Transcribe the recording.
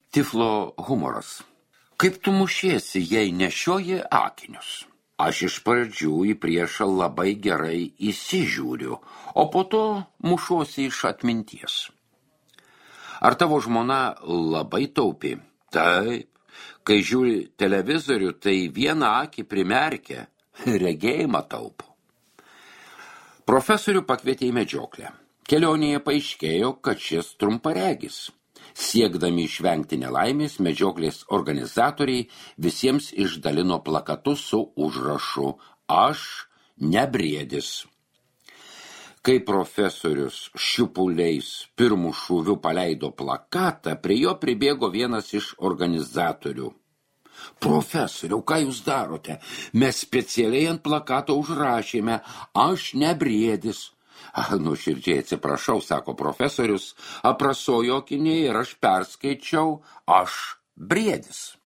Tiflo humoras. Kaip tu mušiesi, jei nešioji akinius? Aš iš pradžių į priešą labai gerai įsižiūriu, o po to mušuosi iš atminties. Ar tavo žmona labai taupi? Taip. Kai žiūri televizorių, tai vieną akį primerkia, regėjimą taupo. Profesorių pakvietė į medžioklę. Kelionėje paaiškėjo, kad šis trumparegis. Siekdami išvengti nelaimės, medžioklės organizatoriai visiems išdalino plakatus su užrašu "Aš ne briedis". Kai profesorius šiupuliais pirmų šūvių paleido plakatą, prie jo pribėgo vienas iš organizatorių. Profesoriau, ką jūs darote? Mes specialiai ant plakato užrašėme "Aš ne briedis". Nuoširdžiai atsiprašau, sako profesorius, aprasojo akiniai ir aš perskaičiau "Aš briedis".